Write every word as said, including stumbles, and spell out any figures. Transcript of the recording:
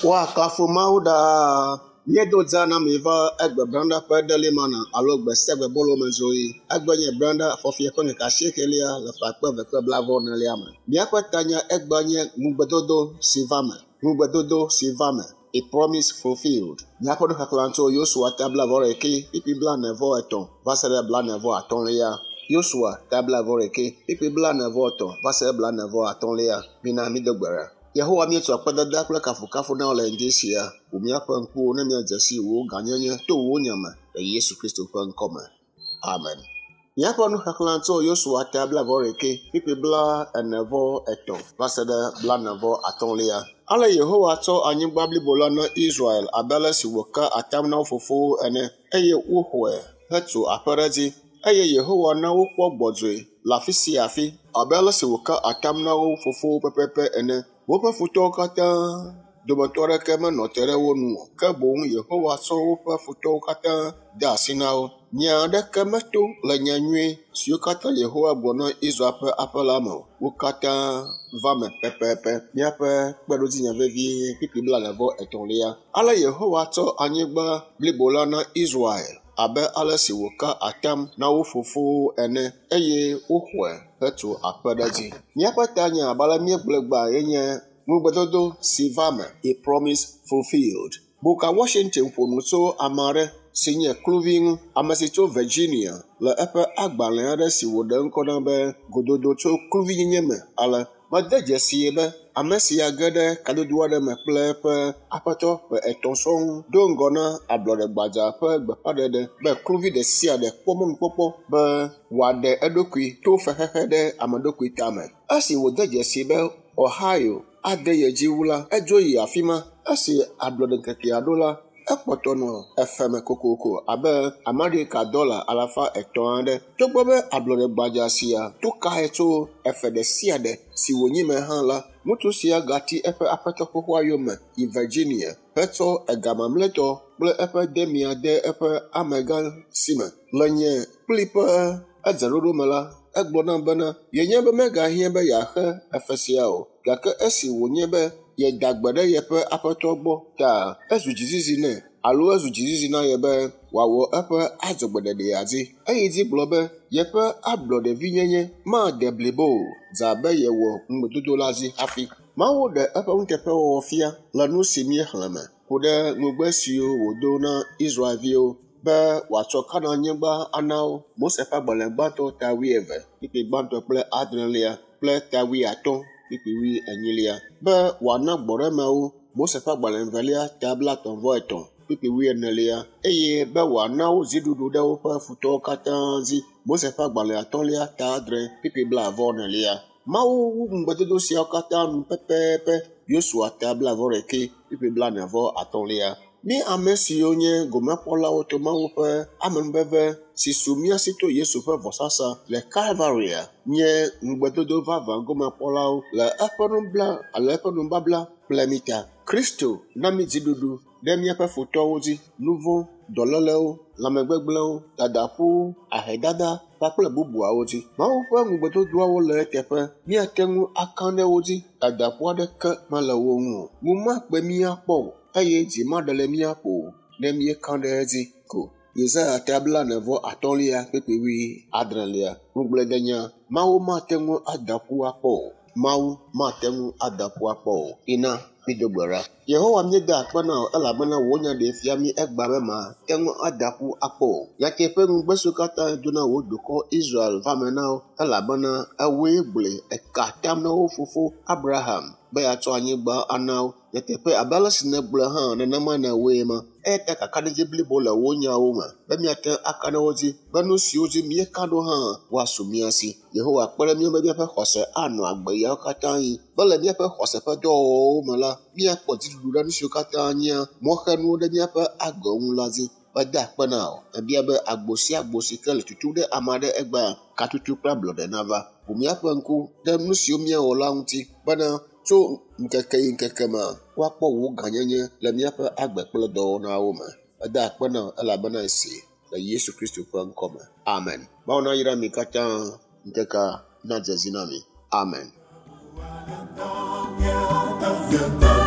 Woakafu Mawu ɖaa. Míedo dza na mi va egbe branda ƒe delimana alo gbe sia gbe bolo me zoe. Egbe nye branda fɔfia ƒe ŋkeke asiekelia le ƒe akpe eve kple blaeve enelia me. Míaƒe tanya egbea nye ŋugbedodo si va me. Ŋugbedodo si va me. A promise fulfilled. Míaƒe nuxexlẽ tso Yosua ta blaeve ɖekɛ kpukpui blaene vɔ etɔ̃ va se ɖe blaene vɔ atɔ̃lia. Yosua ta blaeve ɖekɛ kpukpui blaene vɔ etɔ̃ va se ɖe blaene vɔ atɔ̃lia. Mina mído gbe ɖa. Yehowa míetu akpedada kple kafukafu na wò le ŋdi sia. Ʋu míaƒe ŋkuwo ne míadze si wò gãnyenye to wò nya me le Yesu Kristo ƒe ŋkɔme. Amen. Míaƒe nuxexlẽ tso Yosua ta blaeve ɖekɛ kpukpui blaene vɔ etɔ̃ va se ɖe blaene vɔ atɔ̃lia. Ale Yehowa tsɔ anyigba blibo la na Israel abe ale si wòka atam na wo fofowo ene eye woxɔe hetu aƒe ɖe edzi. Eye Yehowa na wokpɔ gbɔdzɔe le afi sia afi abe ale si wòka atam na wo fofowo pɛpɛpɛ ene. Woƒe futɔwo katã dometɔ aɖeke menɔ te ɖe wo nu o, ke boŋ Yehowa tsɔ woƒe futɔwo katã de asi na wo. Nya aɖeke meto le nya nyui siwo katã Yehowa gblɔ na Israel ƒe aƒe la me o. Wo katã va me pɛpɛpɛ. Míaƒe kpeɖodzinya vevie kpukpui blaene vɔ etɔ̃lia. Ale Yehowa tsɔ anyigba blibo la na Israel abe ale si wòka atam na wo fofowo ene eye woxɔe hetu aƒe ɖe edzi. Míaƒe tanya abe ale míegblɔe gbã ye nye ŋugbedodo si va me, a promise fulfilled. Booker Washington ƒo nu tso ame aɖe si nye kluvi ŋu, ame si tso Virginia le eƒe agbalẽ aɖe si wòɖe ŋkɔ na be gododo tso kluvinyenye me ale. Mede dzesii be ame sia ge ɖe kadodo aɖe me kple eƒe aƒetɔ ƒe etɔ̃ sɔŋ do ŋgɔ na ablɔɖegbadza ƒe gbeƒãɖeɖe be kluvi ɖe sia ɖe kpɔ mɔnukpɔkpɔ be wòaɖe eɖokui to fexexe ɖe ame ɖokui tame. Esi wòde dzesii be Ohio ade ye dzi wu la, edzo yi afi ma. Esi ablɔɖeŋkekea ɖo la, ekpɔtɔ nɔ efe me kokoko abe Amerika dɔla alafa etɔ̃ aɖe. Togbɔ be ablɔɖegbadza sia to kae tso efe ɖe sia ɖe si wònyi me hã la, ŋutsu sia gati eƒe aƒetɔ xoxoa yome yi Virginia hetsɔ ega mamlɛtɔ kple eƒe demia de eƒe amegã si me. Le nye kpli ƒe edzeɖoɖo me la, egblɔ nam bena yenye be megahiã be yeaxe efe sia o, gake esi wònye be yeda gbe ɖe yeƒe aƒetɔ gbɔ ta ezu dzizizi nɛ alo ezu dzizizi na ye be wòawɔ eƒe adzɔgbeɖeɖea dzi. Eyi dzi gblɔ be yeƒe ablɔɖevinyenye made blibo o, dze abe yewɔ ŋugbedodo la dzi hafi. Mawu ɖe eƒe nuteƒewɔwɔ fia le nu si míexlẽ me ku ɖe ŋugbe siwo wòdo na Israelviwo be wòatsɔ Kanaanyigba ana wo. Mose ƒe agbalẽ gbãtɔ ta wuieve, kpukpui gbãtɔ kple adrelia kple ta wuiatɔ̃ kpukpui wuienyilia be wòana gbɔɖemewo. Mose ƒe agbalẽ evelia ta blaetɔ̃ vɔ etɔ̃ kpukpui wuienelia eye be wòana wo dziɖuɖu ɖe woƒe futɔwo katã dzi. Mose ƒe agbalẽ atɔ̃lia ta adre kpukpui blaeve enelia. Mawu wu ŋugbedodo siawo katã nu pɛpɛpɛ. Yosua ta blaeve ɖekɛ kpukpui blaene vɔ atɔ̃lia. Mí ame siwo nye gomekpɔlawo to Mawu ƒe amenuveve si su mía si to Yesu ƒe vɔsasa le Kalvaria nye ŋugbedodo vavã gomekpɔlawo le eƒe nubla alo eƒe nubabla kple mí ta. Kristo na mí dziɖuɖu ɖe míaƒe futɔwo dzi, nuvɔ̃, dɔlélewo, lãmegbegblẽwo, dadaƒuwo, ahedada kpakple bubuawo dzi. Mawu ƒe ŋugbedodoawo le eteƒe. Míate ŋu aka ɖe wo dzi. Dadaƒu aɖeke mele wo ŋu o. Ŋu makpe mí akpɔ o eye dzi maɖe le mía ƒo o ne míeka ɖe edzi ko. Yesaya ta blaene vɔ atɔ̃lia kpukpui wuiadrelia. Ŋugbledenya: Mawu mate ŋu ada ƒu akpɔ o. Mawu mate ŋu ada ƒu akpɔ o. Ina mído gbe ɖa. Yehowa míeda akpe na wò elabena wò nya ɖee fia mí egbea be mate ŋu ada ƒu akpɔ o. Nyateƒe ŋugbe siwo katã do na wò dukɔ Israel va me na wo elabena ewòe gblɔe eka atam na wo fofo Abraham be yeatsɔ anyigba ana wo. Nyateƒe abe ale si nègblɔe hã nenema nèwɔe ma. Eya ta kakaɖedzi blibo le wò nyawo me be míate ŋu aka ɖe wo dzi be nu siwo dzi míeka ɖo hã woasu mía si. Yehowa kpe ɖe mía ŋu be míaƒe xɔse anɔ agbe yawo katã ɣi be le míaƒe xɔse ƒe dɔwɔwɔwo me la, míakpɔ dziɖuɖu ɖe nu siwo katã nyea mɔxenuwo ɖe míaƒe agbe ŋu la dzi. Meda akpe na wò. Mebia be agbo sia agbo si ke le tutum ɖe ame aɖe egbea, katutu kple ablɔɖe nava. Ʋu míaƒe ŋku ɖe nu siwo míawɔ la ŋuti bena tso ŋkeke yi ŋkeke me woakpɔ wò gãnyenye le míaƒe agbe kple dɔwɔnawo me. Meda akpe na wò elabena esi le Le Yesu Kristu ƒe ŋkɔme. Amen. Mawu nayra mi katã ŋkekea nadze zi na mi. Amen. Yeah, yeah, yeah.